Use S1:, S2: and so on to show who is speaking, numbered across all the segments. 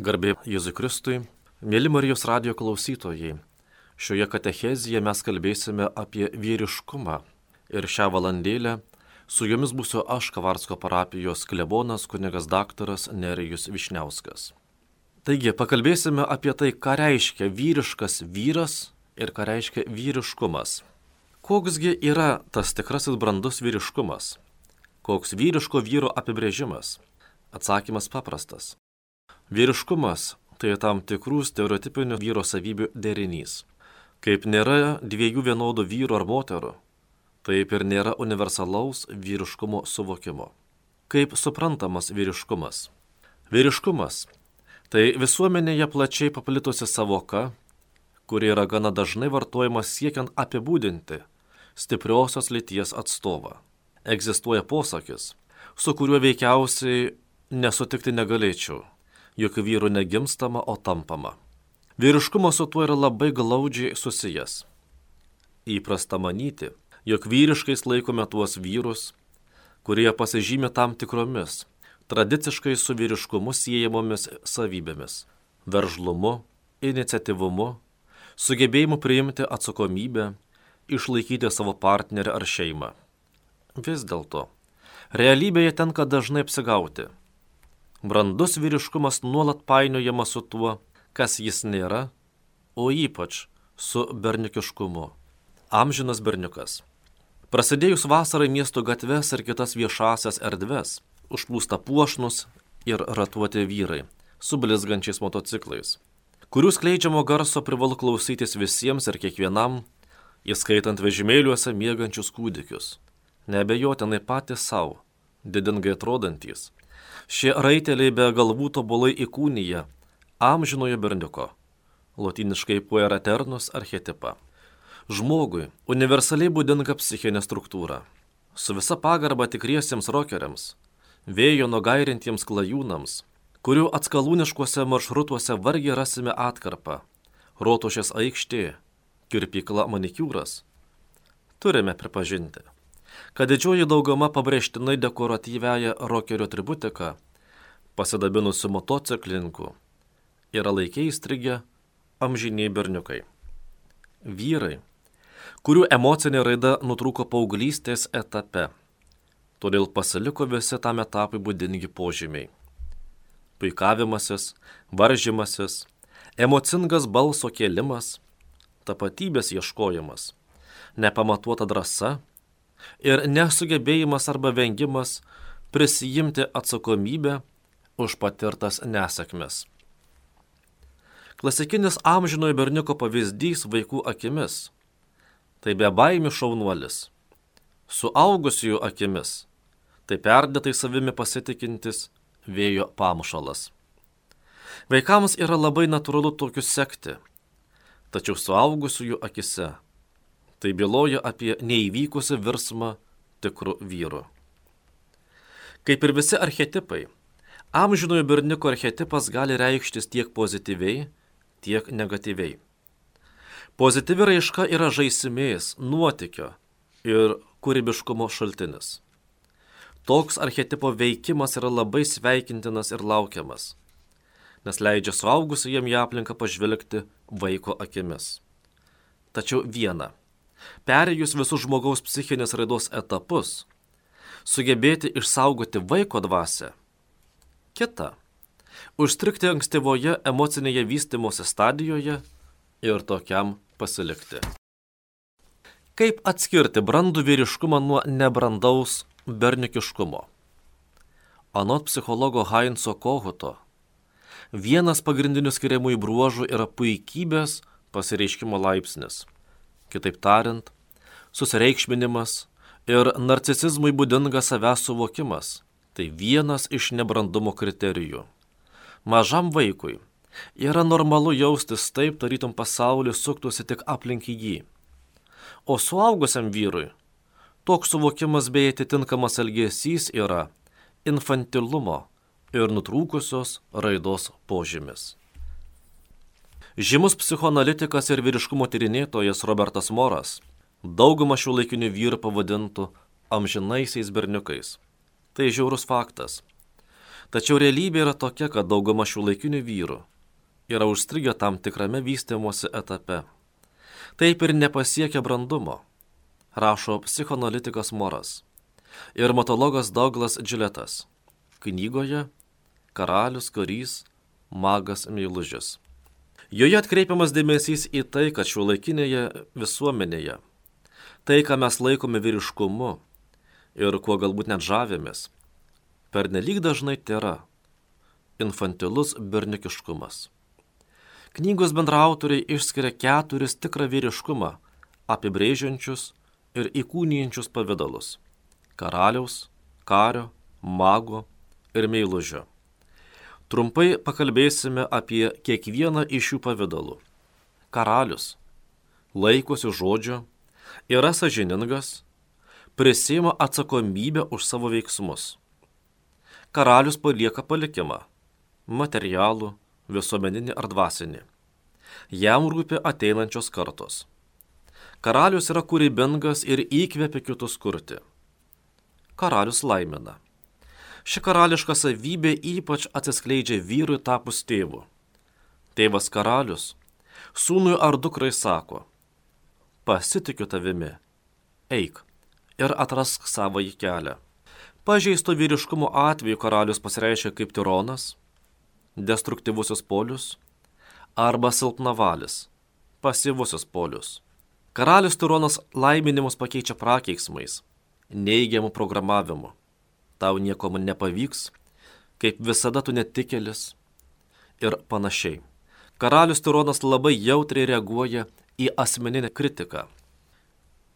S1: Garbė Jėzui Kristui, mėly Marijos radijo klausytojai, šioje katechezėje mes kalbėsime apie vyriškumą ir šią valandėlę su jumis būsiu aš, Kavarsko parapijos klebonas kunigas daktaras Nerijus Višniauskas. Taigi, pakalbėsime apie tai, ką reiškia vyriškas vyras ir ką reiškia vyriškumas. Koksgi yra tas tikrasis brandus vyriškumas? Koks vyriško vyro apibrėžimas? Atsakymas paprastas. Vyriškumas tai tam tikrų stereotipinių vyro savybių derinys. Kaip nėra dviejų vienodų vyrų ar moterų, taip ir nėra universalaus vyriškumo suvokimo. Kaip suprantamas vyriškumas? Vyriškumas tai visuomenėje plačiai paplitusi savoka, kuri yra gana dažnai vartojama siekiant apibūdinti stipriosios lyties atstovą. Egzistuoja posakis, su kuriuo veikiausiai nesutikti negalėčiau, juk vyrų negimstama, o tampama. Vyriškumas su tuo yra labai glaudžiai susijęs. Įprasta manyti, jog vyriškais laikome tuos vyrus, kurie pasižymi tam tikromis, tradiciškai su vyriškumu siejamomis savybėmis – veržlumu, iniciatyvumu, sugebėjimu priimti atsakomybę, išlaikyti savo partnerį ar šeimą. Vis dėlto, realybėje tenka dažnai apsigauti. Brandus vyriškumas nuolat painiojamas su tuo, kas jis nėra, o ypač su berniukiškumu. Amžinas berniukas. Prasidėjus vasarai miesto gatves ir kitas viešasias erdves, užplūsta puošnus ir ratuoti vyrai su blizgančiais motociklais, kurių skleidžiamo garso privalu klausytis visiems ir kiekvienam, įskaitant vežimėliuose miegančius kūdikius. Neabejotinai patys savo, didingai atrodantys. Šie raiteliai be galvų tobulai įkūnyja amžinojo berniuko, lotyniškai puer eternus archetipą. Žmogui universaliai būdinga psichinė struktūra. Su visa pagarba tikriesiems rokeriams, vėjo nugairintiems klajūnams, kurių atskalūniškuose maršrutuose vargiai rasime atkarpą, rotušės aikštė, kirpykla manikiūras, turime pripažinti, kad didžioji dauguma pabrėžtinai dekoratyviąją rokerio atributiką, pasidabinusių motociklininkų, yra laikiai įstrigę amžiniai berniukai. Vyrai, kurių emocinė raida nutrūko paauglystės etape, todėl pasiliko visi tam etapui būdingi požymiai. Puikavimasis, varžymasis, emocingas balso kėlimas, tapatybės ieškojimas, nepamatuota drąsa ir nesugebėjimas arba vengimas prisijimti atsakomybę už patirtas nesėkmes. Klasikinis amžinojo berniuko pavyzdys vaikų akimis – tai bebaimių šaunuolis. Suaugusiųjų akimis – tai perdėtai savimi pasitikintis vėjo pamušalas. Vaikams yra labai natūralu tokius sekti, tačiau suaugusiųjų akise tai byloja apie neįvykusią virsmą tikrų vyrų. Kaip ir visi archetipai, amžinojo berniuko archetipas gali reikštis tiek pozityviai, tiek negatyviai. Pozityvi raiška yra žaismės, nuotykio ir kūrybiškumo šaltinis. Toks archetipo veikimas yra labai sveikintinas ir laukiamas, nes leidžia suaugusiajam į aplinką pažvelgti vaiko akimis. Tačiau viena, perėjus visus žmogaus psichinės raidos etapus, sugebėti išsaugoti vaiko dvasią. Kita, užstrigti ankstyvoje emocinėje vystymosi stadijoje ir tokiam pasilikti. Kaip atskirti brandų vyriškumą nuo nebrandaus berniukiškumo? Anot psichologo Heinzo Kohuto, vienas pagrindinių skiriamųjų bruožų yra puikybės pasireiškimo laipsnis. Kitaip tariant, susireikšminimas ir narcisizmui būdingas savęs suvokimas – tai vienas iš nebrandumo kriterijų. Mažam vaikui yra normalu jaustis taip, tarytum pasaulis suktųsi tik aplink jį. O suaugusiam vyrui toks suvokimas bei atitinkamas elgesys yra infantilumo ir nutrūkusios raidos požymis. Žymus psichoanalitikas ir vyriškumo tyrinėtojas Robertas Moras daugumą šiuolaikinių vyrų pavadintų amžinaisiais berniukais. Tai žiaurus faktas. Tačiau realybė yra tokia, kad dauguma šiuolaikinių vyrų yra užstrigę tam tikrame vystymosi etape. Taip ir nepasiekia brandumo, rašo psichoanalitikas Moras ir matologas Douglas Gilletas knygoje Karalius, karys, magas, meilužis. Joje atkreipiamas dėmesys į tai, kad šiuolaikinėje visuomenėje tai, ką mes laikome vyriškumu ir kuo galbūt net žavėmės, pernelyg dažnai tėra infantilus berniukiškumas. Knygos bendraautoriai išskiria 4 tikrą vyriškumą apibrėžiančius ir įkūnijančius pavidalus – karaliaus, kario, mago ir meilužio. Trumpai pakalbėsime apie kiekvieną iš šių pavidalų. Karalius laikosi žodžio, yra sąžiningas, prisiima atsakomybę už savo veiksmus. Karalius palieka palikimą – materialų, visuomeninį ar dvasinį. Jam rūpi ateinančios kartos. Karalius yra kūrybingas ir įkvepia kitus kurti. Karalius laimina. Ši karališka savybė ypač atsiskleidžia vyrui tapus tėvu. Tėvas karalius sūnui ar dukrai sako: pasitikiu tavimi, eik ir atrask savąjį kelią. Pažeisto vyriškumo atveju karalius pasireiškia kaip tironas, destruktyvusis polius arba silpnavalis, pasyvusis polius. Karalius tironas laiminimus pakeičia prakeiksmais, neigiamų programavimu. Tau nieko man nepavyks, kaip visada tu netikėlis ir panašiai. Karalius tironas labai jautriai reaguoja į asmeninę kritiką.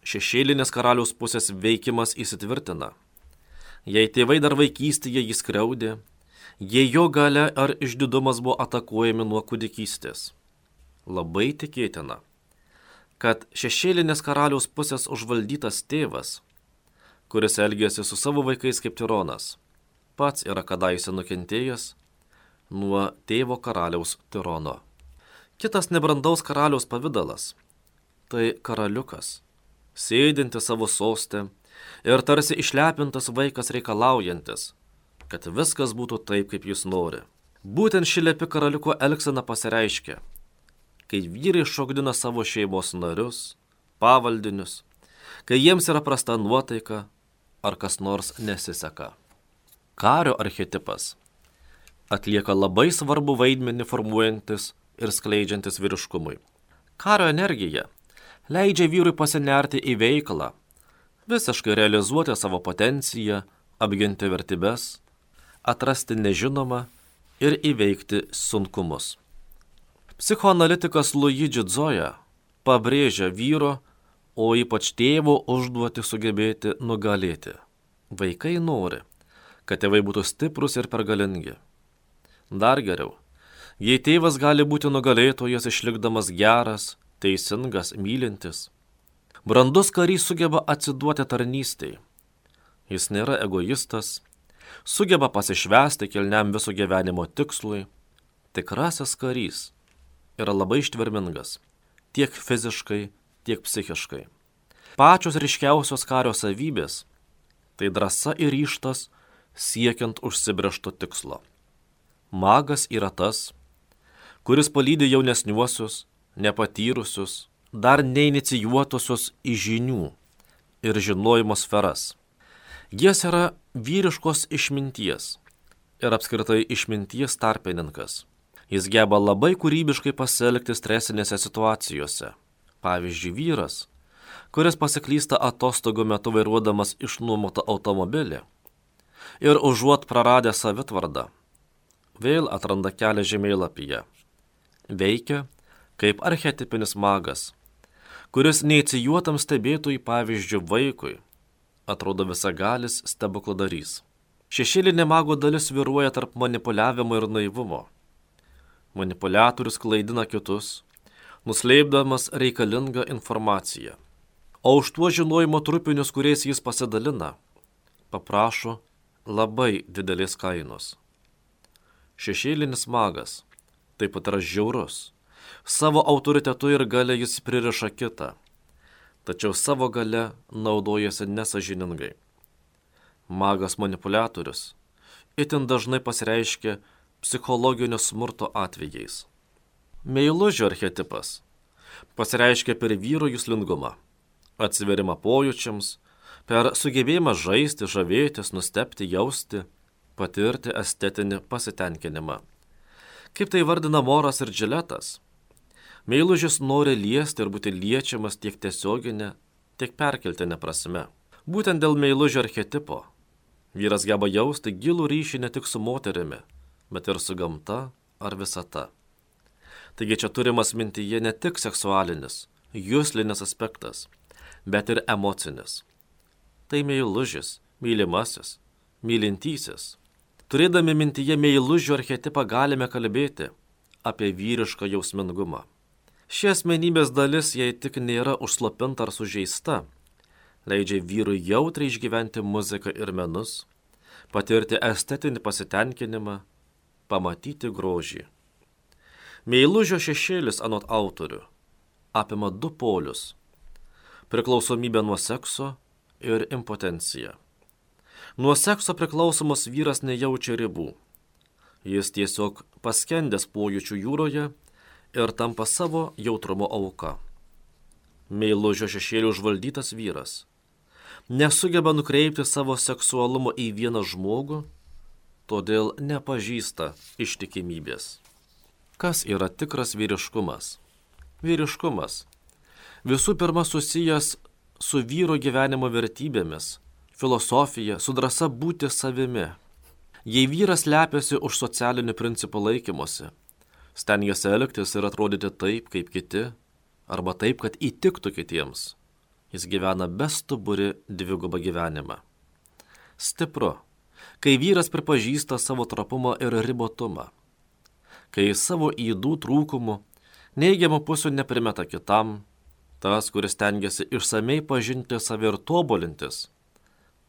S1: Šešėlinės karaliaus pusės veikimas įsitvirtina. Jei tėvai dar vaikystėje jį skriaudė, jei jo galia ar išdidumas buvo atakuojami nuo kūdikystės. Labai tikėtina, kad šešėlinės karaliaus pusės užvaldytas tėvas, kuris elgėsi su savo vaikais kaip tironas, pats yra kadaise nukentėjęs nuo tėvo karaliaus tirono. Kitas nebrandaus karaliaus pavidalas – tai karaliukas, sėdintis savo soste ir tarsi išlepintas vaikas reikalaujantis, kad viskas būtų taip, kaip jis nori. Būtent ši lepi karaliuko elgsena pasireiškia, kai vyrai šokdina savo šeimos narius, pavaldinius, kai jiems yra prasta nuotaika ar kas nors nesiseka. Kario archetipas atlieka labai svarbu vaidmenį formuojantis ir skleidžiantis vyriškumui. Kario energija leidžia vyrui pasinerti į veiklą, visiškai realizuoti savo potenciją, apginti vertybes, atrasti nežinomą ir įveikti sunkumus. Psichoanalitikas Luigi Zoya pabrėžia vyro, o ypač tėvo užduotį sugebėti nugalėti. Vaikai nori, kad tėvai būtų stiprus ir pergalingi. Dar geriau, jei tėvas gali būti nugalėtojas išlikdamas geras, teisingas, mylintis. Brandus karys sugeba atsiduoti tarnystei. Jis nėra egoistas, sugeba pasišvęsti kilniam viso gyvenimo tikslui. Tikrasis karys yra labai ištvermingas, tiek fiziškai, tiek psichiškai. Pačios ryškiausios kario savybės – tai drąsa ir ryžtas siekiant užsibrėžto tikslo. Magas yra tas, kuris palydi jaunesniuosius, nepatyrusius, dar neinicijuotusius į žinių ir žinojimo sferas. Jis yra vyriškos išminties ir apskritai išminties tarpininkas. Jis geba labai kūrybiškai pasielgti stresinėse situacijose. Pavyzdžiui, vyras, kuris pasiklysta atostogų metu vairuodamas išnuomotą automobilį ir užuot praradę savitvardą, vėl atranda kelią žemėlapyje. Veikia kaip archetipinis magas, kuris neįcijuotam stebėtojui, pavyzdžiui, vaikui, atrodo visagalis stebukladarys. Šešėlinė mago dalis svyruoja tarp manipuliavimo ir naivumo. Manipuliatorius klaidina kitus, nuslėpdamas reikalingą informaciją. O už tuos žinojimo trupinius, kuriais jis pasidalina, paprašo labai didelės kainos. Šešėlinis magas taip pat yra žiaurus. Savo autoritetu ir galia jis pririša kitą, tačiau savo galia naudojasi nesažiningai. Magas manipuliatorius itin dažnai pasireiškia psichologinio smurto atvejais. Meilužio archetipas pasireiškia per vyro juslingumą, atsiverimą pojūčiams, per sugebėjimą žaisti, žavėtis, nustebti, jausti, patirti estetinį pasitenkinimą. Kaip tai vardina Moras ir Džiletas, meilužis nori liesti ir būti liečiamas tiek tiesioginė, tiek perkeltinė prasme. Būtent dėl meilužio archetipo vyras geba jausti gilų ryšį ne tik su moterimi, bet ir su gamta ar visata. Taigi čia turimas mintyje ne tik seksualinis, juslinis aspektas, bet ir emocinis. Tai meilužis, mylimasis, mylintysis. Turėdami mintyje meilužio archetipą galime kalbėti apie vyrišką jausmingumą. Ši asmenybės dalis, jei tik nėra užslopinta ar sužeista, leidžia vyrui jautriai išgyventi muziką ir menus, patirti estetinį pasitenkinimą, pamatyti grožį. Meilužio šešėlis anot autorių apima du polius – priklausomybę nuo sekso ir impotenciją. Nuo sekso priklausomas vyras nejaučia ribų. Jis tiesiog paskendęs pojūčių jūroje ir tampa savo jautrumo auka. Meilužio šešėlių užvaldytas vyras nesugeba nukreipti savo seksualumo į vieną žmogų, todėl nepažįsta ištikimybės. Kas yra tikras vyriškumas? Vyriškumas visų pirma susijęs su vyro gyvenimo vertybėmis, filosofija, su drąsa būti savimi. Jei vyras slepiasi už socialinių principų laikymosi, stengiasi elgtis ir atrodyti taip, kaip kiti, arba taip, kad įtiktų kitiems, jis gyvena bestuburi dvigubą gyvenimą. Stipru, kai vyras pripažįsta savo trapumą ir ribotumą, kai savo ydų trūkumų, neigiamų pusių neprimeta kitam, tas, kuris stengiasi išsamei pažinti save ir tobulintis,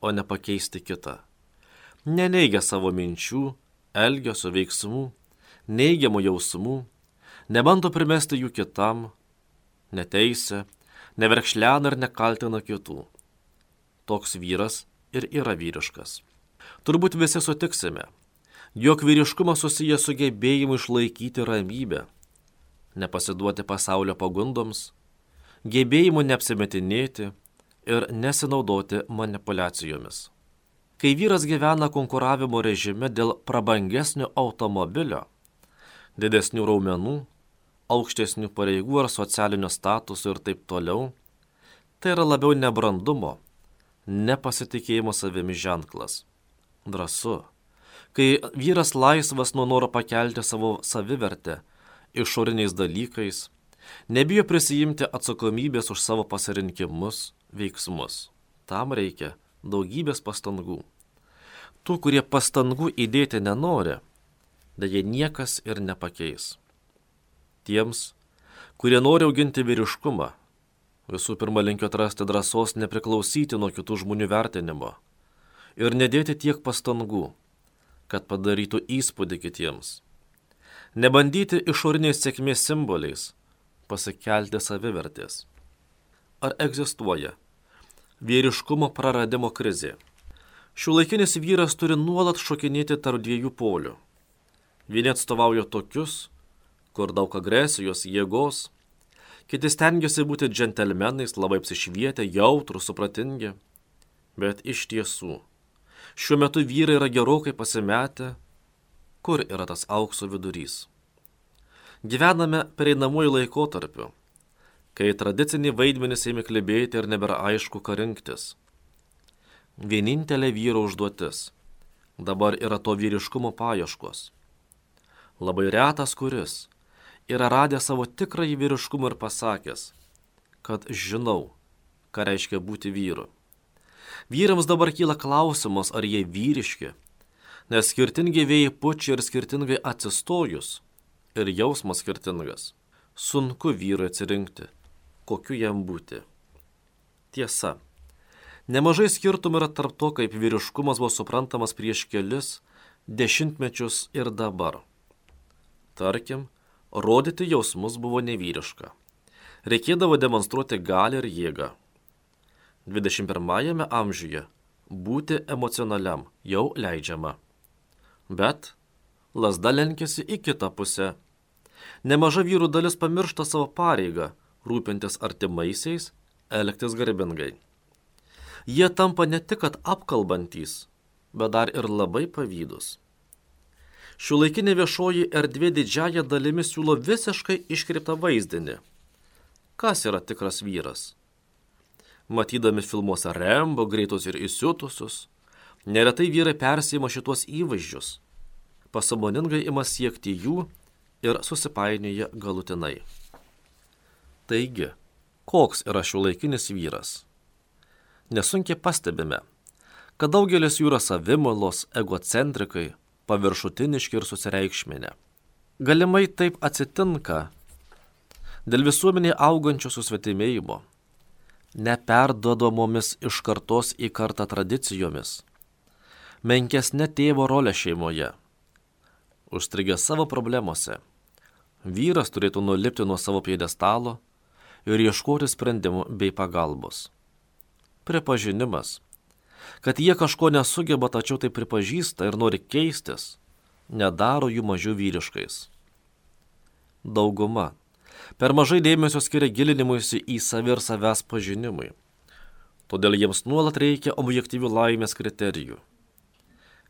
S1: o ne pakeisti kitą. Neneigia savo minčių, elgesio veiksmų, neigiamų jausmų, nebando primesti jų kitam, neteisia, neverkšlena ir nekaltina kitų. Toks vyras ir yra vyriškas. Turbūt visi sutiksime, jog vyriškumas susijęs su gebėjimu išlaikyti ramybę, nepasiduoti pasaulio pagundoms, gebėjimu neapsimetinėti ir nesinaudoti manipuliacijomis. Kai vyras gyvena konkuravimo režime dėl prabangesnio automobilio, didesnių raumenų, aukštesnių pareigų ar socialinio statuso ir taip toliau, tai yra labiau nebrandumo, nepasitikėjimo savimi ženklas. Drąsu. Kai vyras laisvas nuo noro pakelti savo savivertę išoriniais dalykais, nebijo prisijimti atsakomybės už savo pasirinkimus, veiksmus. Tam reikia daugybės pastangų. Tų, kurie pastangų įdėti nenori, deja niekas ir nepakeis. Tiems, kurie nori auginti vyriškumą, visų pirma linkiu atrasti drąsos nepriklausyti nuo kitų žmonių vertinimo ir nedėti tiek pastangų, kad padarytų įspūdį kitiems. Nebandyti išoriniais sėkmės simboliais pasikelti savivertės. Ar egzistuoja vyriškumo praradimo krizė? Šiuolaikinis vyras turi nuolat šokinėti tarp dviejų polių. Vieni atstovauja tokius, kur daug agresijos, jėgos, kiti stengiasi būti džentelmenais, labai apsišvietę, jautrūs, supratingi, bet iš tiesų, šiuo metu vyrai yra gerokai pasimetę, kur yra tas aukso vidurys. Gyvename pereinamuoju laikotarpiu, kai tradiciniai vaidmenys ėmė klibėti ir nebėra aišku, ką rinktis. Vienintelė vyro užduotis dabar yra to vyriškumo paieškos. Labai retas kuris yra radęs savo tikrąjį vyriškumą ir pasakęs, kad žinau, ką reiškia būti vyru. Vyrams dabar kyla klausimas, ar jie vyriški, nes skirtingi vėjai pučia ir skirtingai atsistojus, ir jausmas skirtingas. Sunku vyrui atsirinkti, kokiu jam būti. Tiesa, nemažai skirtumų yra tarp to, kaip vyriškumas buvo suprantamas prieš kelis dešimtmečius ir dabar. Tarkim, rodyti jausmus buvo nevyriška. Reikėdavo demonstruoti galią ir jėgą. 21 amžiuje būti emocionaliam jau leidžiama. Bet lazda lenkėsi į kitą pusę. Nemaža vyrų dalis pamiršta savo pareigą, rūpintis artimaisiais, elgtis garbingai. Jie tampa ne tik kad apkalbantys, bet dar ir labai pavydus. Šiuolaikinė viešoji erdvė didžiąja dalimi siūlo visiškai iškreiptą vaizdinį. Kas yra tikras vyras? Matydami filmuose Rembo, greitus ir įsiutusius, neretai vyrai persima šitos įvaizdžius, pasąmoningai ima siekti jų ir susipainioja galutinai. Taigi, koks yra šiuolaikinis vyras? Nesunkiai pastebime, kad daugelis jų yra savimolos, egocentrikai, paviršutiniški ir susireikšminę. Galimai taip atsitinka dėl visuomenėje augančio susvetimėjimo, neperduodamomis iš kartos į kartą tradicijomis, menkesnė tėvo rolė šeimoje, užstrigę savo problemose. Vyras turėtų nulipti nuo savo pjedestalo ir ieškoti sprendimų bei pagalbos. Pripažinimas, kad jie kažko nesugeba, tačiau tai pripažįsta ir nori keistis, nedaro jų mažiau vyriškais. Dauguma per mažai dėmesio skiria gilinimuisi į savį ir savęs pažinimui. Todėl jiems nuolat reikia objektyvių laimės kriterijų.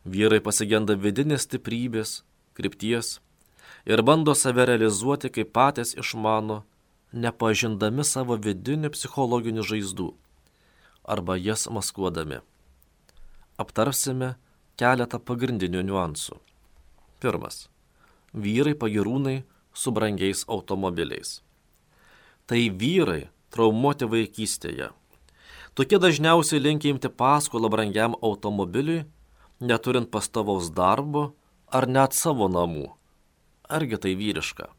S1: Vyrai pasigenda vidinės stiprybės, krypties ir bando save realizuoti, kaip patys išmano, nepažindami savo vidinių psichologinių žaizdų arba jas maskuodami. Aptarsime keletą pagrindinių niuansų. Pirmas. Vyrai pagyrūnai su brangiais automobiliais. Tai vyrai traumuoti vaikystėje. Tokie dažniausiai linkia imti paskolą brangiam automobiliui, neturint pastovaus darbo ar net savo namų. Argi tai vyriška?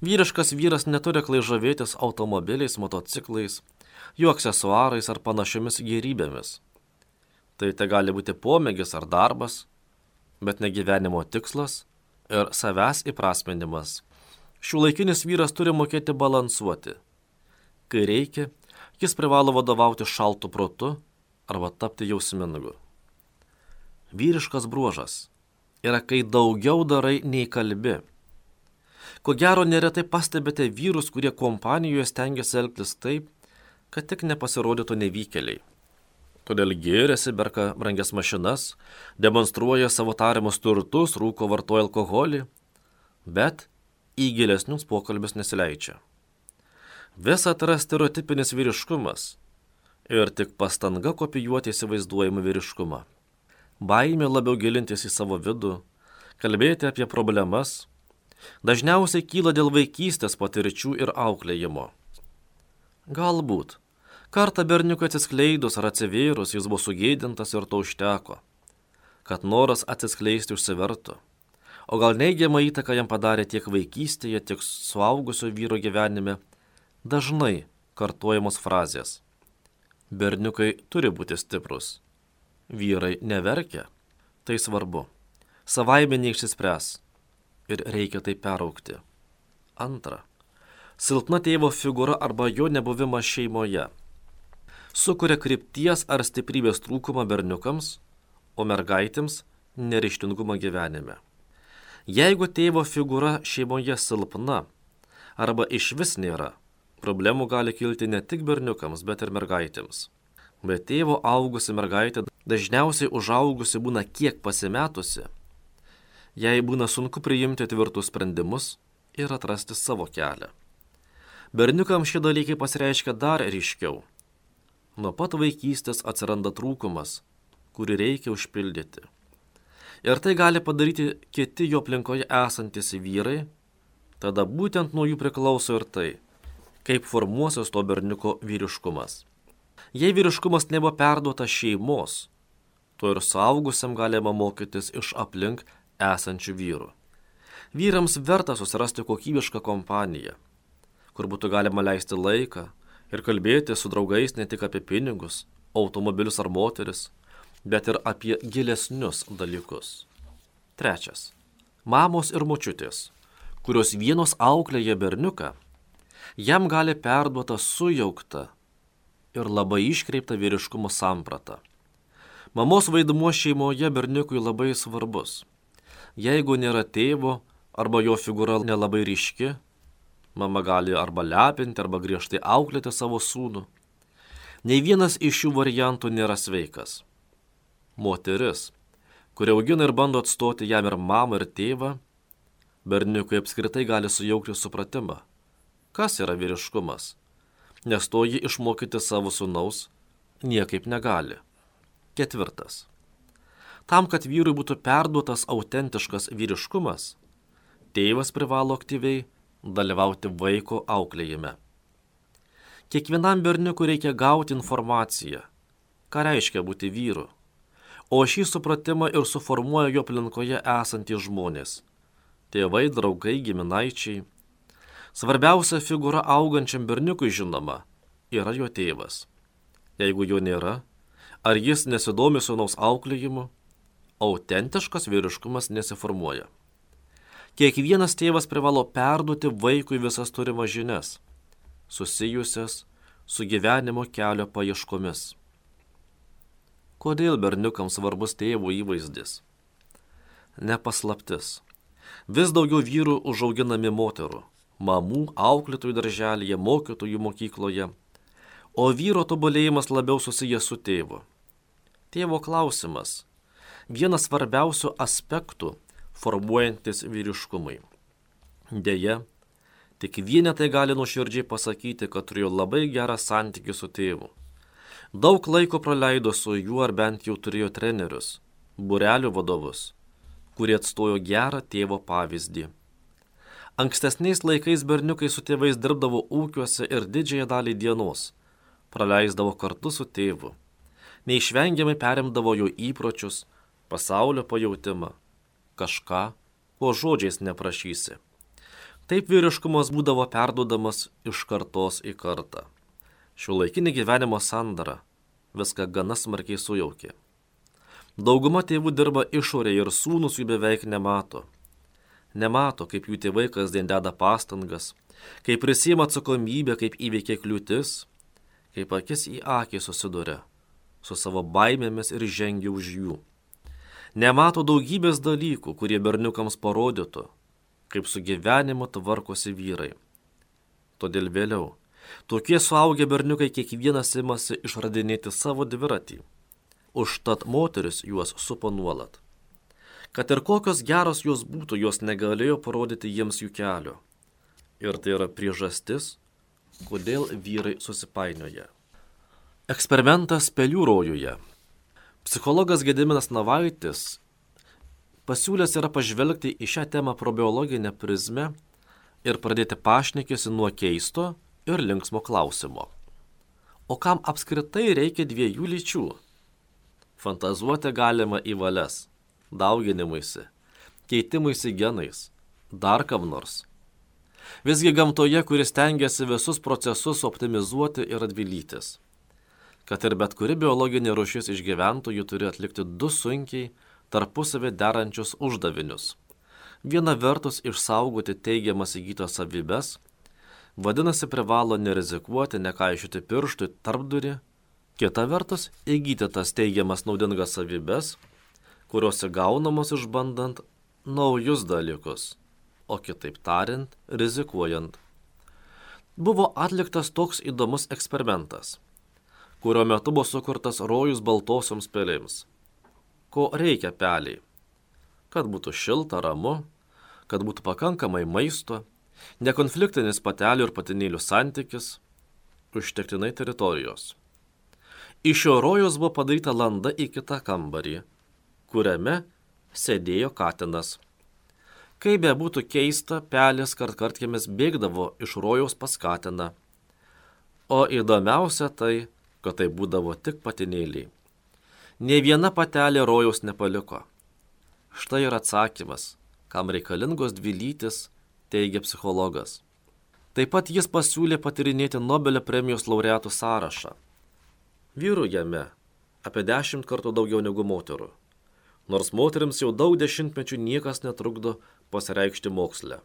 S1: Vyriškas vyras neturi aklai žavėtis automobiliais, motociklais, jų aksesuarais ar panašiomis gėrybėmis. Tai gali būti pomėgis ar darbas, bet ne gyvenimo tikslas ir savęs įprasminimas. Šiuolaikinis vyras turi mokėti balansuoti. Kai reikia, jis privalo vadovauti šaltu protu arba tapti jausmingu. Vyriškas bruožas yra, kai daugiau darai nei kalbi. Ko gero, neretai pastebite vyrus, kurie kompanijoje stengiasi elgtis taip, kad tik nepasirodytų nevykėliai. Todėl gėrėsi, perka brangias mašinas, demonstruoja savo tariamus turtus, rūko, vartoja alkoholį, bet į gilesnius pokalbius nesileidžia. Visa tai yra stereotipinis vyriškumas ir tik pastanga kopijuoti įsivaizduojamą vyriškumą. Baimė labiau gilintis į savo vidų, kalbėti apie problemas, dažniausiai kyla dėl vaikystės patirčių ir auklėjimo. Galbūt kartą berniukui atsiskleidus ar atsivėrus jis buvo sugėdintas ir to užteko, kad noras atsiskleisti užsivertų, o gal neigiamą įtaką jam padarė tiek vaikystėje, tiek suaugusio vyro gyvenime dažnai kartojamos frazės. Berniukai turi būti stiprus. Vyrai neverkia, tai svarbu. Savaime neišsispręs ir reikia tai peraugti. Antra. Silpna tėvo figūra arba jo nebuvimas šeimoje sukuria krypties ar stiprybės trūkumą berniukams, o mergaitėms neryžtingumą gyvenime. Jeigu tėvo figūra šeimoje silpna arba išvis nėra, problemų gali kilti ne tik berniukams, bet ir mergaitėms. Bet tėvo augusi mergaitė dažniausiai užaugusi būna kiek pasimetusi, jai būna sunku priimti tvirtus sprendimus ir atrasti savo kelią. Berniukams šie dalykai pasireiškia dar ryškiau. Nuo pat vaikystės atsiranda trūkumas, kurį reikia užpildyti. Ir tai gali padaryti kiti jo aplinkoje esantys vyrai, tada būtent nuo jų priklauso ir tai, kaip formuosios to berniuko vyriškumas. Jei vyriškumas nebuvo perduotas šeimos, to ir suaugusiam galima mokytis iš aplink esančių vyrų. Vyrams verta susirasti kokybišką kompaniją, kur būtų galima leisti laiką ir kalbėti su draugais ne tik apie pinigus, automobilius ar moteris, bet ir apie gilesnius dalykus. Trečias. Mamos ir močiutės, kurios vienos auklėja berniuką, jam gali perduota sujaukta ir labai iškreipta vyriškumo samprata. Mamos vaidmuo šeimoje berniukui labai svarbus. Jeigu nėra tėvo arba jo figūra nelabai ryški, mama gali arba lepinti, arba griežtai auklėti savo sūnų. Nei vienas iš šių variantų nėra sveikas. Moteris, kuri augina ir bando atstoti jam ir mamą, ir tėvą, berniukui apskritai gali sujaukti supratimą, kas yra vyriškumas, nes to jį išmokyti savo sūnaus niekaip negali. 4. Tam, kad vyrui būtų perduotas autentiškas vyriškumas, tėvas privalo aktyviai dalyvauti vaiko auklėjime. Kiekvienam berniukui reikia gauti informaciją, ką reiškia būti vyru, o šį supratimą ir suformuoja jo aplinkoje esantys žmonės – tėvai, draugai, giminaičiai. Svarbiausia figūra augančiam berniukui, žinoma, yra jo tėvas. Jeigu jo nėra, ar jis nesidomi sūnaus auklėjimu, autentiškas vyriškumas nesiformuoja. Kiekvienas tėvas privalo perduoti vaikui visas turimas žinias, susijusias su gyvenimo kelio paieškomis. Kodėl berniukams svarbus tėvo įvaizdis? Nepaslaptis. Vis daugiau vyrų užauginami moterų, mamų, auklėtojų darželyje, mokytojų mokykloje, o vyro tobulėjimas labiau susijęs su tėvu. Tėvo klausimas – vienas svarbiausių aspektų formuojantis vyriškumui. Deja, tik vienetai gali nuoširdžiai pasakyti, kad turėjo labai gerą santykį su tėvu. Daug laiko praleido su juo ar bent jau turėjo trenerius, būrelių vadovus, kurie atstojo gerą tėvo pavyzdį. Ankstesniais laikais berniukai su tėvais dirbdavo ūkiuose ir didžiąją dalį dienos praleisdavo kartu su tėvu. Neišvengiamai perimdavo jo įpročius, pasaulio pajautimą, kažką, ko žodžiais neprašysi. Taip vyriškumas būdavo perduodamas iš kartos į kartą. Šiuolaikinė gyvenimo sandara viską gana smarkiai sujaukė. Dauguma tėvų dirba išorėje ir sūnus jų beveik nemato. Nemato, kaip jų tėvai kasdien deda pastangas, kaip prisiima atsakomybę, kaip įveikia kliūtis, kaip akis į akį susiduria su savo baimėmis ir žengia už jų. Nemato daugybės dalykų, kurie berniukams parodytų, kaip su gyvenimu tvarkosi vyrai. Todėl vėliau tokie suaugę berniukai kiekvienas imasi išradinėti savo dviratį. Užtat moteris juos supo nuolat. Kad ir kokios geros jos būtų, jos negalėjo parodyti jiems jų kelio. Ir tai yra priežastis, kodėl vyrai susipainioja. Eksperimentas pelių rojuje. Psichologas Gediminas Navaitis pasiūlęs yra pažvelgti į šią temą pro biologinę prizmę ir pradėti pašnekėsi nuo keisto ir linksmo klausimo. O kam apskritai reikia dviejų lyčių? Fantazuoti galima į valias, dauginimuisi, keitimuisi genais, dar kam nors. Visgi gamtoje, kuris stengiasi visus procesus optimizuoti ir atvilytis. Kad ir bet kuri biologinė rūšis išgyventų, ji turi atlikti 2 sunkiai tarpusavį derančius uždavinius. Viena vertus išsaugoti teigiamas įgytas savybes, vadinasi privalo nerizikuoti, nekaišiuoti pirštų tarpdurį, kita vertus įgyti tas teigiamas naudingas savybes, kurios įgaunamos išbandant naujus dalykus, o kitaip tariant, rizikuojant. Buvo atliktas toks įdomus eksperimentas, kurio metu buvo sukurtas rojus baltosioms pelėms. Ko reikia peliai? Kad būtų šilta, ramu, kad būtų pakankamai maisto, nekonfliktinis patelių ir patinėlių santykis, užtektinai teritorijos. Iš šio rojos buvo padaryta landa į kitą kambarį, kuriame sėdėjo katinas. Kaip bebūtų keista, pelės kartkartėmis bėgdavo iš rojaus pas katiną. O įdomiausia tai, kad tai būdavo tik patinėliai. Nė viena patelė rojaus nepaliko. Štai ir atsakymas, kam reikalingos 2 lytys, teigia psichologas. Taip pat jis pasiūlė patyrinėti Nobelio premijos laureatų sąrašą. Vyrų jame apie 10 kartų daugiau negu moterų, nors moterims jau daug dešimtmečių niekas netrukdo pasireikšti moksle.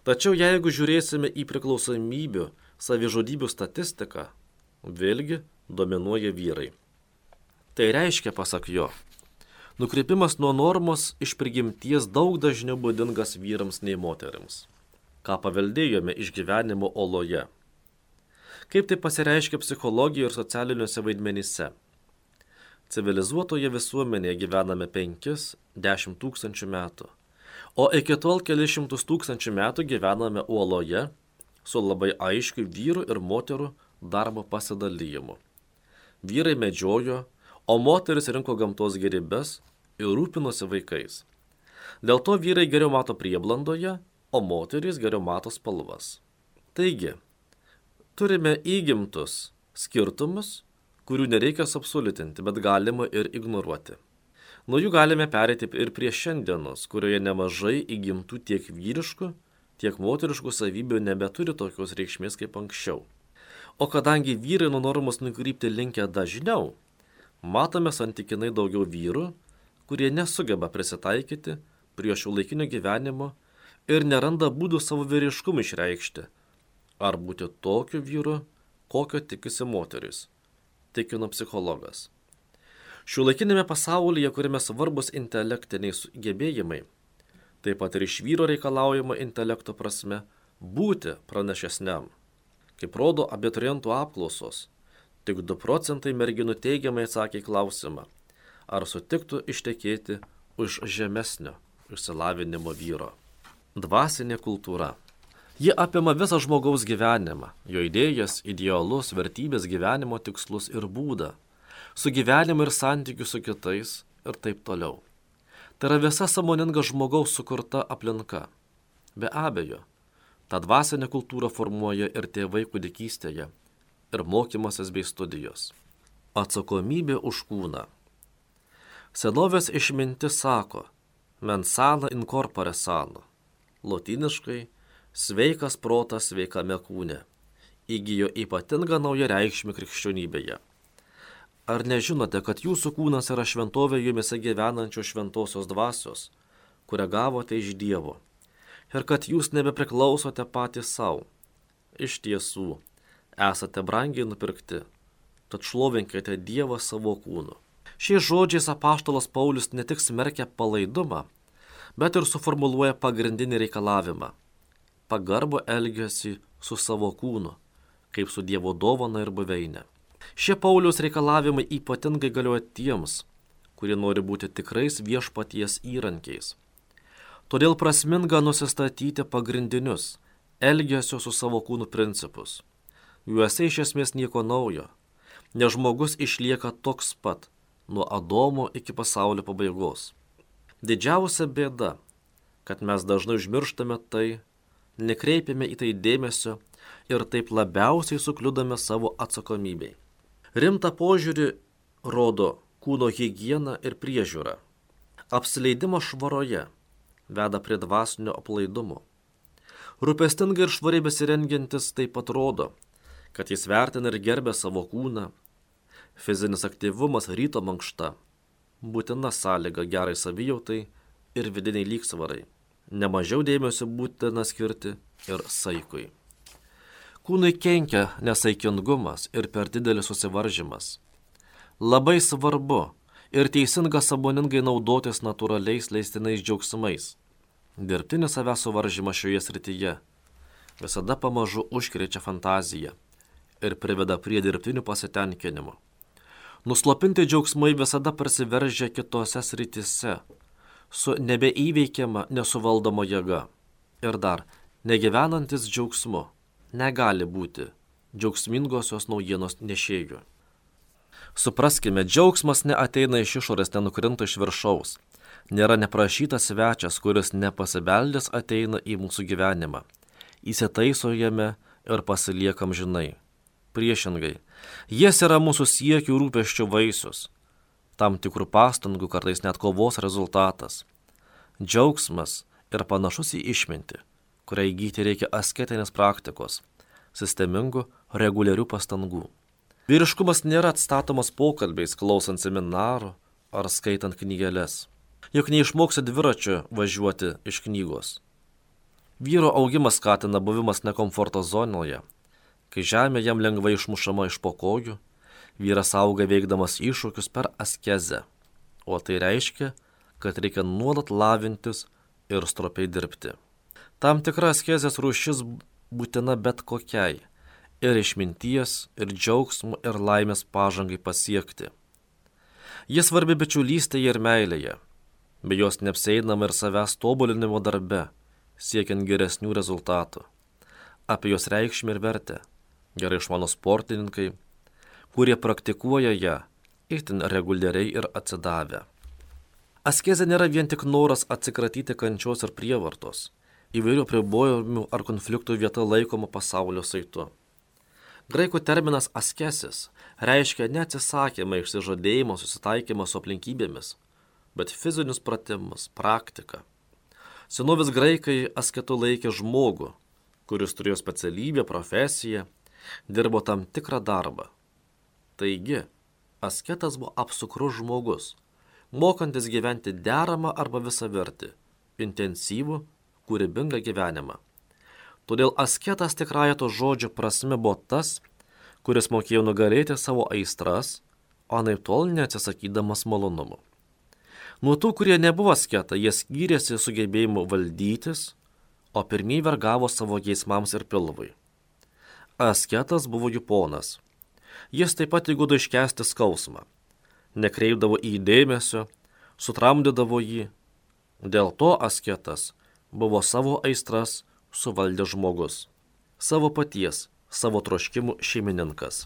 S1: Tačiau jeigu žiūrėsime į priklausomybių, savižudybių statistiką, vėlgi dominuoja vyrai. Tai reiškia, pasak jo, Nukrypimas nuo normos iš prigimties daug dažniau būdingas vyrams nei moterims, ką paveldėjome iš gyvenimo oloje. Kaip tai pasireiškia psichologijoje ir socialiniuose vaidmenyse? Civilizuotoje visuomenėje gyvename 5-10 tūkstančių metų, o iki tol kelius šimtus tūkstančių metų gyvename uoloje su labai aiškiu vyrų ir moterų darbo pasidalymu. Vyrai medžiojo, o moteris rinko gamtos gėrybes ir rūpinosi vaikais. Dėl to vyrai geriau mato prieblandoje, o moterys geriau mato spalvas. Taigi, turime įgimtus skirtumus, kurių nereikia absoliutinti, bet galima ir ignoruoti. Nuo jų galime pereiti ir prie šiandienos, kurioje nemažai įgimtų tiek vyriškų, tiek moteriškų savybių nebeturi tokios reikšmės kaip anksčiau. O kadangi vyrai nuo normos nukrypti linkę dažniau, matome santykinai daugiau vyrų, kurie nesugeba prisitaikyti prie šiuolaikinio gyvenimo ir neranda būdų savo vyriškumą išreikšti, ar būti tokiu vyru, kokio tikisi moteris, tikino psichologas. Šiuolaikinėme pasaulyje, kuriame svarbus intelektiniai gebėjimai, taip pat ir iš vyro reikalaujama intelekto prasme būti pranašesniam. Kaip rodo abiturientų apklausos, tik 2 procentai merginų teigiamai atsakė į klausimą, ar sutiktų ištekėti už žemesnio išsilavinimo vyro. Dvasinė kultūra. Ji apima visą žmogaus gyvenimą, jo idėjas, idealus, vertybės, gyvenimo tikslus ir būdą, sugyvenimą ir santykių su kitais ir taip toliau. Tai yra visa sąmoninga žmogaus sukurta aplinka. Be abejo, tą dvasinę kultūrą formuoja ir tėvai kūdikystėje, ir mokymasis bei studijos. Atsakomybė už kūną. Senovės išmintis sako, mens sana in corpore sano. Lotyniškai, sveikas protas sveikame kūne, įgijo ypatingą naują reikšmę krikščionybėje. Ar nežinote, kad jūsų kūnas yra šventovė jumise gyvenančio šventosios dvasios, kurią gavote iš Dievo, ir kad jūs nebepriklausote patys savo? Iš tiesų, esate brangiai nupirkti, tad šlovinkite Dievą savo kūnu. Šiais žodžiais apaštalas Paulius ne tik smerkia palaidumą, bet ir suformuluoja pagrindinį reikalavimą – pagarbų elgesį su savo kūnu, kaip su Dievo dovana ir buveinė. Šie Pauliaus reikalavimai ypatingai galioja tiems, kurie nori būti tikrais viešpaties įrankiais. Todėl prasminga nusistatyti pagrindinius elgesio su savo kūnu principus. Juose iš esmės nieko naujo, nes žmogus išlieka toks pat nuo Adomo iki pasaulio pabaigos. Didžiausia bėda, kad mes dažnai užmirštame tai, nekreipiame į tai dėmesio ir taip labiausiai sukliudame savo atsakomybei. Rimtą požiūrį rodo kūno higiena ir priežiūra. Apsileidimas švaroje veda prie dvasinio aplaidumo. Rūpestingai ir švariai besirengiantis taip pat rodo, kad jis vertina ir gerbia savo kūną. Fizinis aktyvumas, ryto mankšta būtina sąlyga gerai savijautai ir vidiniai lygsvarai. Nemažiau dėmesio būtina skirti ir saikui. Kūnui kenkia nesaikingumas ir per didelis susivaržymas. Labai svarbu ir teisinga sąmoningai naudotis natūraliais leistinais džiaugsmais. Dirbtinis savęs suvaržymas šioje srityje visada pamažu užkrečia fantaziją ir priveda prie dirbtinių pasitenkinimų. Nuslopinti džiaugsmai visada prasiveržia kitose srityse su nebeįveikiama nesuvaldoma jėga. Ir dar, negyvenantis džiaugsmu negali būti džiaugsmingosios naujienos nešėjų. Supraskime, džiaugsmas neateina iš išorės, nenukrinta iš viršaus. Nėra neprašytas svečias, kuris nepasibeldęs ateina į mūsų gyvenimą. Įsitaiso jame ir pasiliekam žinai. Priešingai, jis yra mūsų siekių rūpesčių vaisius, tam tikrų pastangų, kartais net kovos rezultatas. Džiaugsmas yra panašus į išmintį, kurią įgyti reikia asketinės praktikos, sistemingų, reguliarių pastangų. Vyriškumas nėra atstatomas pokalbiais, klausant seminarų ar skaitant knygeles. Juk neišmoksi dviračiu važiuoti iš knygos. Vyro augimas skatina buvimas nekomforto zonoje. Kai žemė jam lengvai išmušama iš po kojų, vyras auga veikdamas iššūkius per askezę, o tai reiškia, kad reikia nuolat lavintis ir stropiai dirbti. Tam tikra askezės rūšis būtina bet kokiai ir išminties, ir džiaugsmo, ir laimės pažangai pasiekti. Jis svarbi bičiulystėje ir meilėje, be jos neapsieinama ir savęs tobulinimo darbe, siekiant geresnių rezultatų. Apie jos reikšmę ir vertę gerai išmano sportininkai, kurie praktikuoja ją itin reguliariai ir atsidavę. Askezė nėra vien tik noras atsikratyti kančios ir prievartos, įvairių apribojimų ar konfliktų vieta laikoma pasaulio saitu. Graikų terminas askesis reiškia neatsisakymą, išsižadėjimą, susitaikymą su aplinkybėmis, bet fizinius pratimus, praktiką. Senovės graikai asketu laikė žmogų, kuris turėjo specialybę, profesiją, dirbo tam tikrą darbą. Taigi, asketas buvo apsukrus žmogus, mokantis gyventi deramą arba visavertį, intensyvų, kūrybingą gyvenimą. Todėl asketas tikrąja to žodžio prasme buvo tas, kuris mokėjo nugalėti savo aistras, o anaiptol neatsisakydamas malonumų. Nuo tų, kurie nebuvo asketai, jie skyrėsi sugebėjimu valdytis, o pirmieji vergavo savo geismams ir pilvui. Asketas buvo jų ponas. Jis taip pat įgūdo iškęsti skausmą, nekreipdavo į jį dėmesio, sutramdydavo jį. Dėl to asketas buvo savo aistras suvaldęs žmogus, savo paties, savo troškimų šeimininkas.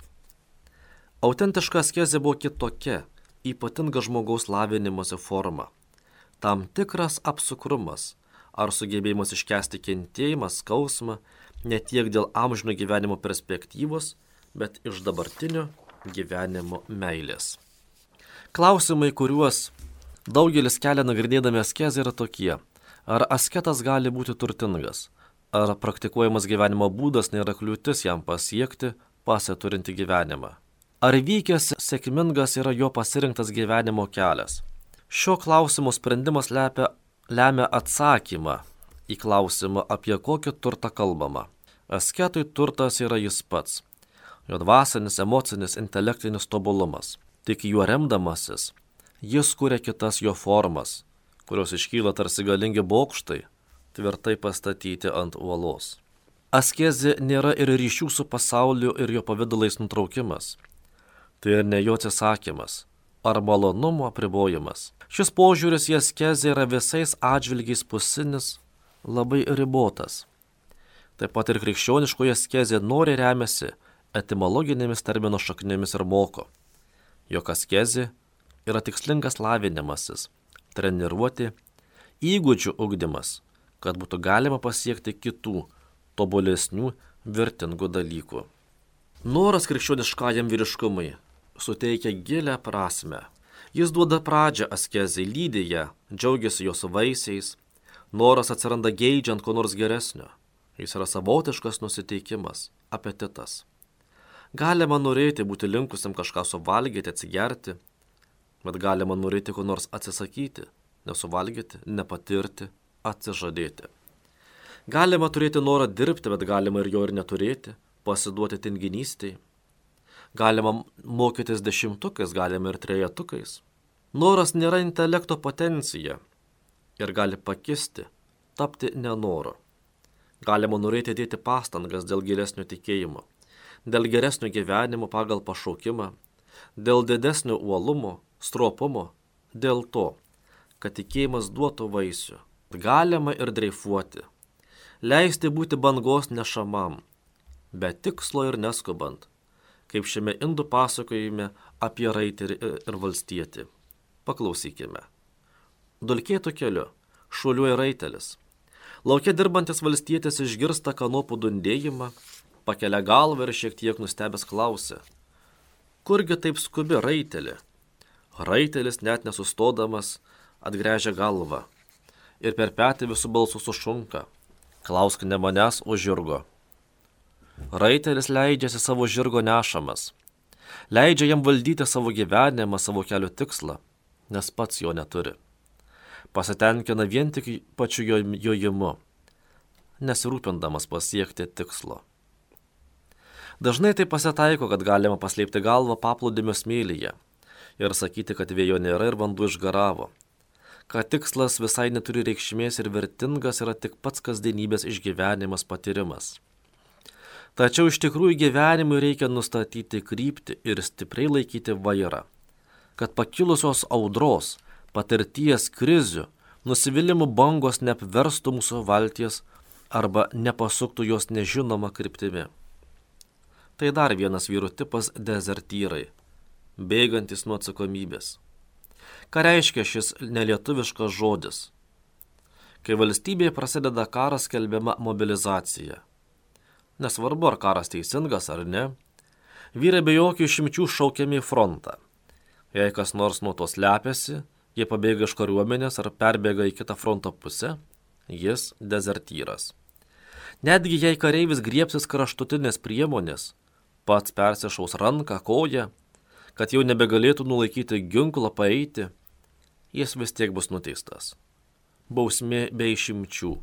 S1: Autentiška askezė buvo kitokia, ypatinga žmogaus lavinimosi forma, tam tikras apsukrumas ar sugebėjimas iškęsti kentėjimą, skausmą, ne tiek dėl amžino gyvenimo perspektyvos, bet iš dabartinio gyvenimo meilės. Klausimai, kuriuos daugelis kelia nagrinėdami askezę, yra tokie: ar asketas gali būti turtingas? Ar praktikuojamas gyvenimo būdas nėra kliūtis jam pasiekti pasiturinti gyvenimą? Ar vykęs sėkmingas yra jo pasirinktas gyvenimo kelias? Šio klausimo sprendimas lemia atsakymą į klausimą, apie kokį turtą kalbama. Asketui turtas yra jis pats, jo dvasinis, emocinis, intelektinis tobulumas. Tik juo remdamasis, jis kuria kitas jo formas, kurios iškyla tarsi galingi bokštai, tvirtai pastatyti ant uolos. Askezė nėra ir ryšių su pasauliu ir jo pavidalais nutraukimas. Tai ir ne jo atsisakymas ar malonumo apribojimas. Šis požiūris į askezę yra visais atžvilgiais pusinis, labai ribotas. Taip pat ir krikščioniškoje askezė nori remiasi etimologinėmis termino šaknimis ir moko, jog askezė yra tikslingas lavinimasis, treniruoti, įgūdžių ugdymas, kad būtų galima pasiekti kitų, tobulesnių, vertingų dalykų. Noras krikščioniškajam vyriškumui suteikia gilią prasme. Jis duoda pradžią askezei, lydi ją, džiaugiasi jos vaisiais. Noras atsiranda geidžiant ko nors geresnio. Jis yra savotiškas nusiteikimas, apetitas. Galima norėti būti linkusiam kažką suvalgyti, atsigerti, bet galima norėti ko nors atsisakyti, nesuvalgyti, nepatirti, atsižadėti. Galima turėti norą dirbti, bet galima ir jo ir neturėti, pasiduoti tinginystei. Galima mokytis 10-ukais, galima ir 3-ukais. Noras nėra intelekto potencija ir gali pakisti, tapti nenoru. Galima norėti dėti pastangas dėl gilesnio tikėjimo, dėl geresnio gyvenimo pagal pašaukimą, dėl didesnio uolumo, stropumo, dėl to, kad tikėjimas duotų vaisių. Galima ir dreifuoti, leisti būti bangos nešamam, be tikslo ir neskubant, kaip šiame indų pasakojime apie raiterį ir valstietį. Paklausykime. Dulkėtu keliu šuoliuoja raitelis. Lauke dirbantis valstietis išgirsta kanopų dundėjimą, pakelia galvą ir šiek tiek nustebęs klausia: kurgi taip skubi, raiteli? Raitelis net nesustodamas atgręžia galvą ir per petį visų balsų sušunka: klausk ne manęs, o žirgo. Raitelis leidžiasi savo žirgo nešamas, leidžia jam valdyti savo gyvenimą, savo kelio tikslą, nes pats jo neturi. Pasitenkina vien tik pačiu jojimu, nesirūpindamas pasiekti tikslo. Dažnai tai pasitaiko, kad galima paslėpti galvą paplūdimio smėlyje ir sakyti, kad vėjo nėra ir vanduo išgaravo, kad tikslas visai neturi reikšmės ir vertingas yra tik pats kasdienybės išgyvenimas patyrimas. Tačiau iš tikrųjų gyvenimui reikia nustatyti kryptį ir stipriai laikyti vairą, kad pakilusios audros, patirties krizių, nusivylimų bangos neapverstų mūsų valties arba nepasuktų jos nežinoma kryptimi. Tai dar vienas vyrų tipas – dezertyrai, bėgantis nuo atsakomybės. Ką reiškia šis nelietuviškas žodis? Kai valstybėje prasideda karas, skelbiama mobilizacija. Nesvarbu, ar karas teisingas ar ne, vyrai be jokių išimčių šaukiami į frontą. Jei kas nors nuo to slepiasi, jie pabėga iš kariuomenės ar perbėga į kitą fronto pusę, jis dezertyras. Netgi jei kareivis griebsis kraštutinės priemonės, pats persišaus ranką, koją, kad jau nebegalėtų nulaikyti ginklą paeiti, jis vis tiek bus nuteistas. Bausmė be išimčių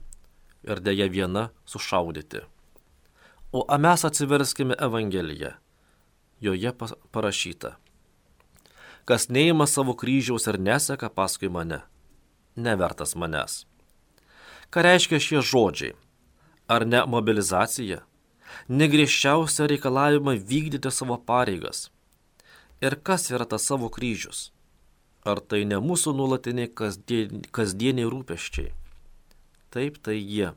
S1: ir dėja viena sušaudyti. O mes atsiverskime Evangeliją. Joje parašyta: kas neima savo kryžiaus ir neseka paskui mane, nevertas manęs. Ką reiškia šie žodžiai? Ar ne mobilizacija? Negriežčiausia reikalavimą vykdyti savo pareigas. Ir kas yra tas savo kryžius? Ar tai ne mūsų nuolatiniai kasdieniai rūpesčiai? Taip, tai jie.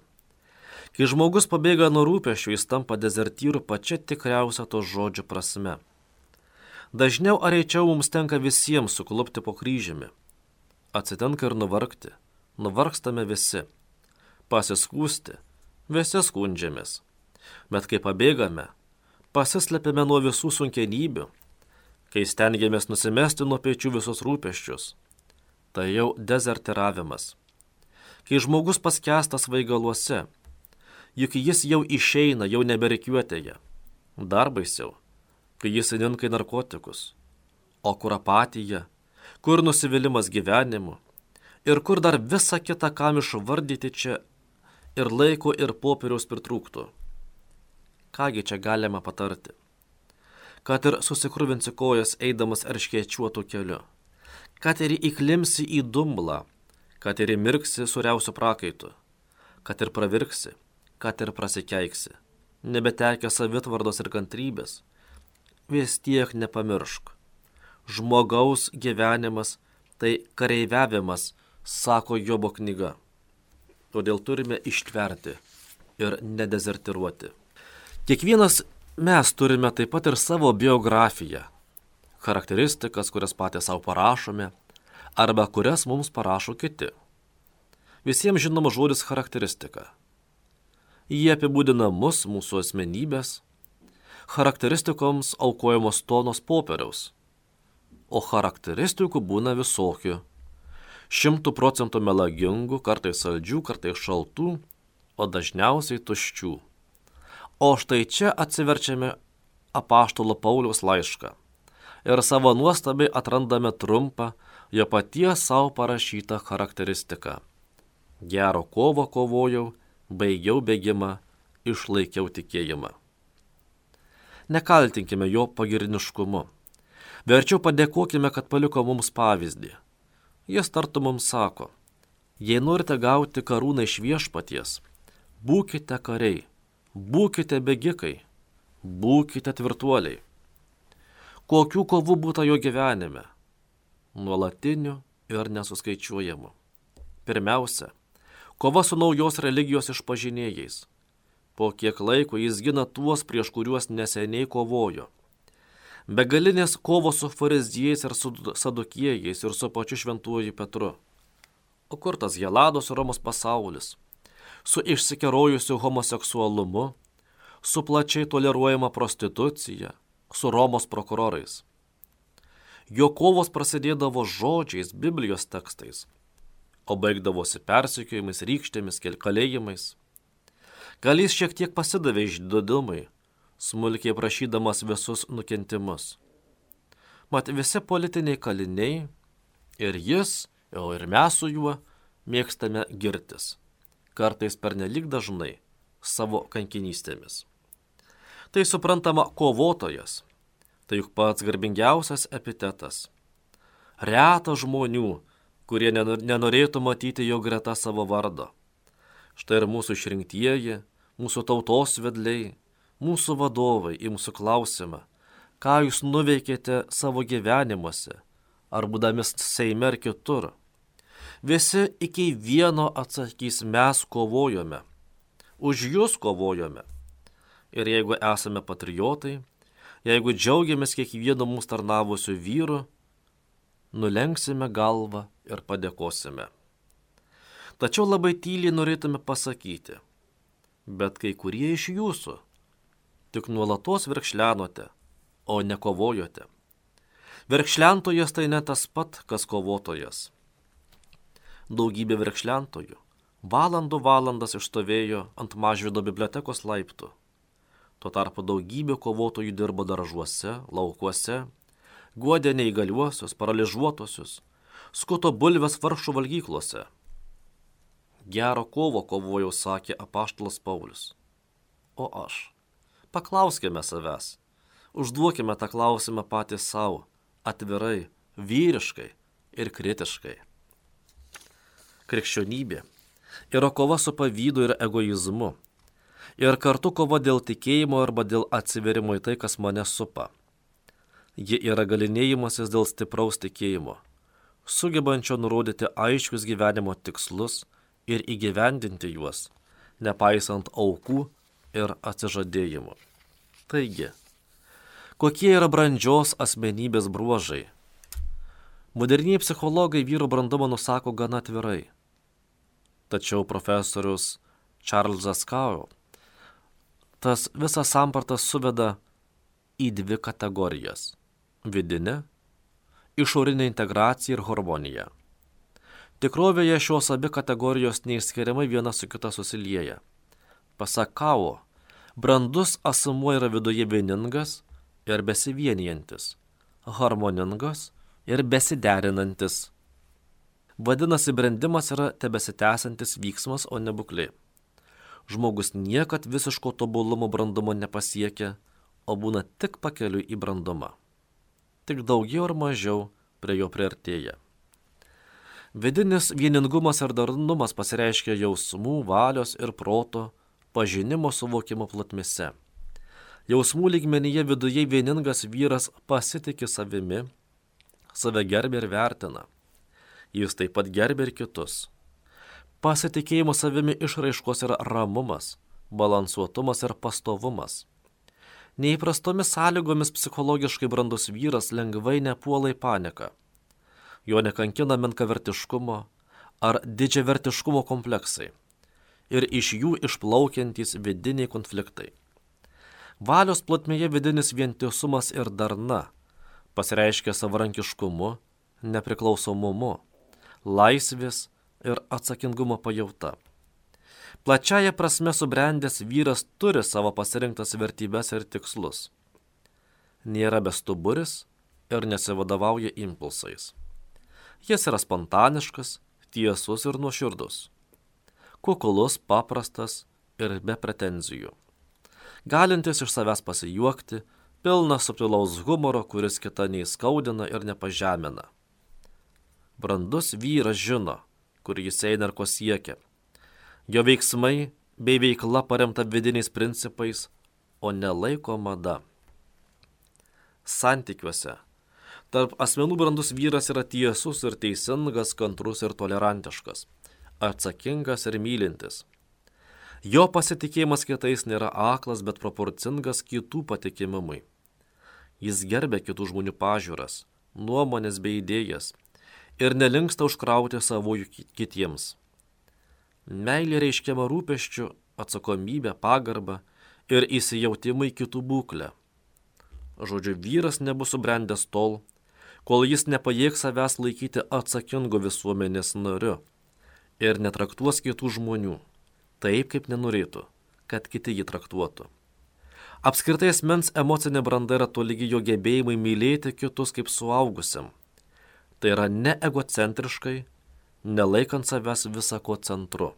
S1: Kai žmogus pabėga nuo rūpesčių, jis tampa dezertyru pačia tikriausia to žodžio prasme. Dažniau ar reičiau mums tenka visiems suklupti po kryžiumi. Atsitinka ir nuvargti. Nuvargstame visi. Pasiskųsti. Visi skundžiamės. Bet kai pabėgame, pasislepiame nuo visų sunkenybių, kai stengiamės nusimesti nuo pečių visus rūpesčius, tai jau dezertiravimas. Kai žmogus paskęsta svaigaluose, juk jis jau išeina, jau neberikiuotėje. Dar baisiau, kai jis įninka į narkotikus. O kur apatija, kur nusivylimas gyvenimu ir kur dar visa kita, kam išvardyti čia ir laiko ir popieriaus pritrūktų. Kągi čia galima patarti? Kad ir susikruvinsi kojas eidamas erškėčiuotų keliu, kad ir įklimsi į dumblą, kad ir įmirksi suriausiu prakaitu, kad ir pravirksi, kad ir prasikeiksi, nebetekę savitvardos ir kantrybės, vis tiek nepamiršk. Žmogaus gyvenimas tai kareiviavimas, sako Jobo knyga. Todėl turime ištverti ir nedezertiruoti. Kiekvienas mes turime taip pat ir savo biografiją, charakteristikas, kurias patys savo parašome, arba kurias mums parašo kiti. Visiems žinoma žodis charakteristika. Jie apibūdina mus, mūsų asmenybės, charakteristikoms aukojamos tonos popieriaus, o charakteristikų būna visokių. 100% melagingų, kartais saldžių, kartais šaltų, o dažniausiai tuščių. O štai čia atsiverčiame apaštalo Pauliaus laišką ir savo nuostabai atrandame trumpą, jo paties savo parašytą charakteristiką. Gero kovo kovojau, baigiau bėgimą, išlaikiau tikėjimą. Nekaltinkime jo pagirniškumu. Verčiau padėkokime, kad paliko mums pavyzdį. Jis tartu mums sako: jei norite gauti karūną iš viešpaties, būkite kariai, būkite bėgikai, būkite tvirtuoliai. Kokių kovų būta jo gyvenime? Nuolatinių ir nesuskaičiuojamų. Pirmiausia, kova su naujos religijos išpažinėjais. Po kiek laiko jis gina tuos, prieš kuriuos neseniai kovojo. Begalinės kovos su fariziejais ir su sadukiejais ir su pačiu šventuoju Petru. O kur tas Helados Romos pasaulis? Su išsikerojusiu homoseksualumu, su plačiai toleruojama prostitucija, su Romos prokurorais. Jo kovos prasidėdavo žodžiais, Biblijos tekstais, o baigdavosi persekiojimais, rykštėmis, kalėjimais. Gal jis šiek tiek pasidavė išdidumui, smulkiai prašydamas visus nukentimus. Mat visi politiniai kaliniai, ir jis, o ir mes su juo, mėgstame girtis, kartais pernelyg dažnai, savo kankinystėmis. Tai suprantama kovotojas, tai juk pats garbingiausias epitetas. Reta žmonių, kurie nenorėtų matyti jo greta savo vardo. Štai ir mūsų išrinktieji, mūsų tautos vedliai, mūsų vadovai į mūsų klausimą, ką jūs nuveikėte savo gyvenimuose, ar būdami Seime ar kitur. Visi iki vieno atsakys, mes kovojome, už jūs kovojome. Ir jeigu esame patriotai, jeigu džiaugiamės kiekvienu mūsų tarnavusiu vyru, nulenksime galvą ir padėkosime. Tačiau labai tyliai norėtume pasakyti, bet kai kurie iš jūsų tik nuolatos verkšlenote, o ne kovojote. Verkšlentojas tai ne tas pat, kas kovotojas. Daugybė verkšlentojų valandas išstovėjo ant Mažvydo bibliotekos laiptų. Tuo tarpu daugybė kovotojų dirbo daržuose, laukuose, guodė neįgaliuosius, paralyžiuotusius, skuto bulves vargšų valgyklose. Gero kovo kovojau, sakė apaštalas Paulius. O aš? Paklauskime savęs. Užduokime tą klausimą patys savo, atvirai, vyriškai ir kritiškai. Krikščionybė yra kova su pavydu ir egoizmu. Ir kartu kova dėl tikėjimo arba dėl atsiverimo į tai, kas mane supa. Ji yra galinėjimasis dėl stipraus tikėjimo, sugebančio nurodyti aiškius gyvenimo tikslus ir įgyvendinti juos, nepaisant aukų ir atsižadėjimų. Taigi, kokie yra brandžios asmenybės bruožai? Moderniai psichologai vyro brandumą nusako gana atvirai. Tačiau profesorius Čarlzas Kao tas visas sampratas suveda į dvi kategorijas – vidinę, išorinę integraciją ir harmoniją. Tikrovėje šios abi kategorijos neišskiriamai viena su kita susilieja. Pasak Kao, brandus asmuo yra viduje vieningas ir besivienijantis, harmoningas ir besiderinantis. Vadinasi, brendimas yra tebesitęsantis vyksmas, o ne būklė. Žmogus niekad visiško tobulumo brandumo nepasiekia, o būna tik pakeliui į brandumą. Tik daugiau ar mažiau prie jo priartėja. Vidinis vieningumas ir darnumas pasireiškia jausmų, valios ir proto, pažinimo suvokimo plotmėse. Jausmų lygmenyje viduje vieningas vyras pasitiki savimi, save gerbia ir vertina. Jis taip pat gerbia ir kitus. Pasitikėjimo savimi išraiškos yra ramumas, balansuotumas ir pastovumas. Neįprastomis sąlygomis psichologiškai brandus vyras lengvai nepuola į paniką. Jo nekankina menkavertiškumo ar didžiavertiškumo kompleksai ir iš jų išplaukiantys vidiniai konfliktai. Valios plotmėje vidinis vientisumas ir darna pasireiškia savarankiškumu, nepriklausomumu, laisvės ir atsakingumo pajauta. Plačiaja prasme subrendęs vyras turi savo pasirinktas vertybes ir tikslus. Nėra bestuburis ir nesivadovauja impulsais. Jis yra spontaniškas, tiesus ir nuoširdus. Kuklus, paprastas ir be pretenzijų. Galintis iš savęs pasijuokti, pilnas subtilaus humoro, kuris kitą neįskaudina ir nepažemina. Brandus vyras žino, kur jis eina ir ko siekia. Jo veiksmai bei veikla paremta vidiniais principais, o ne laiko mada. Santykiuose tarp asmenų brandus vyras yra tiesus ir teisingas, kantrus ir tolerantiškas, atsakingas ir mylintis. Jo pasitikėjimas kitais nėra aklas, bet proporcingas kitų patikimumui. Jis gerbia kitų žmonių pažiūras, nuomonės bei idėjas ir nelinksta užkrauti savųjų kitiems. Meilė reiškiama rūpesčiu, atsakomybė, pagarba ir įsijautimai kitų būklę. Žodžiu, vyras nebus subrendęs tol, kol jis nepajėgs savęs laikyti atsakingu visuomenės nariu ir netraktuos kitų žmonių taip, kaip nenorėtų, kad kiti jį traktuotų. Apskritai asmens emocinė branda yra tolygi jo gebėjimai mylėti kitus kaip suaugusiam. Tai yra ne egocentriškai, nelaikant savęs visako centru.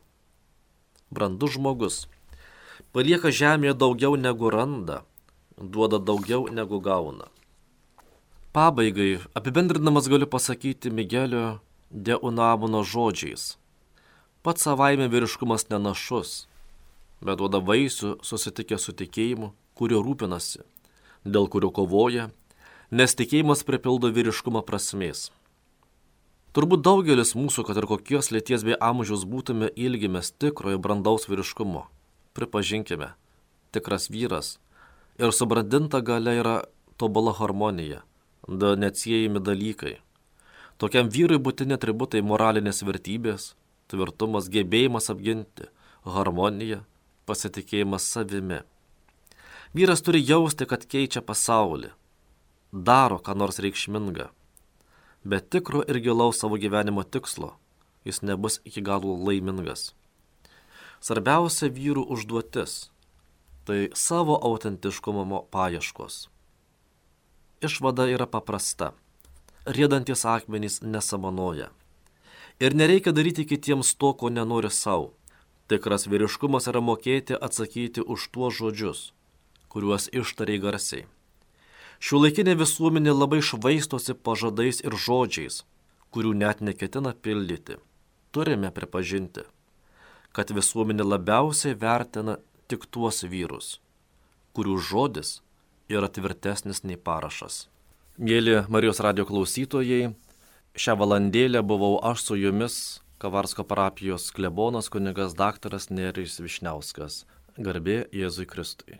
S1: Brandus žmogus palieka žemėje daugiau negu randa, duoda daugiau negu gauna. Pabaigai, apibendrinamas galiu pasakyti Migelio de Unamuno žodžiais. Pats savaime vyriškumas nenašus, bet duoda vaisių susitikę su tikėjimu, kurio rūpinasi, dėl kurio kovoja, nes tikėjimas pripildo vyriškumą prasmės. Turbūt daugelis mūsų, kad ir kokios lyties bei amžiaus būtume, ilgimės tikrojo brandaus vyriškumo. Pripažinkime, tikras vyras ir subrandinta galia yra tobula harmonija, du neatsiejami dalykai. Tokiam vyrui būtini atributai moralinės vertybės, tvirtumas, gebėjimas apginti, harmonija, pasitikėjimas savimi. Vyras turi jausti, kad keičia pasaulį, daro ką nors reikšminga, bet tikro ir gilaus savo gyvenimo tikslo jis nebus iki galo laimingas. Svarbiausia vyrų užduotis – tai savo autentiškumo paieškos. Išvada yra paprasta. Riedantis akmenys nesamanoja. Ir nereikia daryti kitiems to, ko nenori savo. Tikras vyriškumas yra mokėti atsakyti už tuos žodžius, kuriuos ištariai garsiai. Šiuolaikinė visuomenė labai švaistosi pažadais ir žodžiais, kurių net neketina pildyti. Turime pripažinti, kad visuomenė labiausiai vertina tik tuos vyrus, kurių žodis yra tvirtesnis nei parašas. Mėly Marijos radijo klausytojai, šią valandėlę buvau aš su jumis, Kavarsko parapijos klebonas kunigas daktaras Nerijus Višniauskas. Garbė Jėzui Kristui.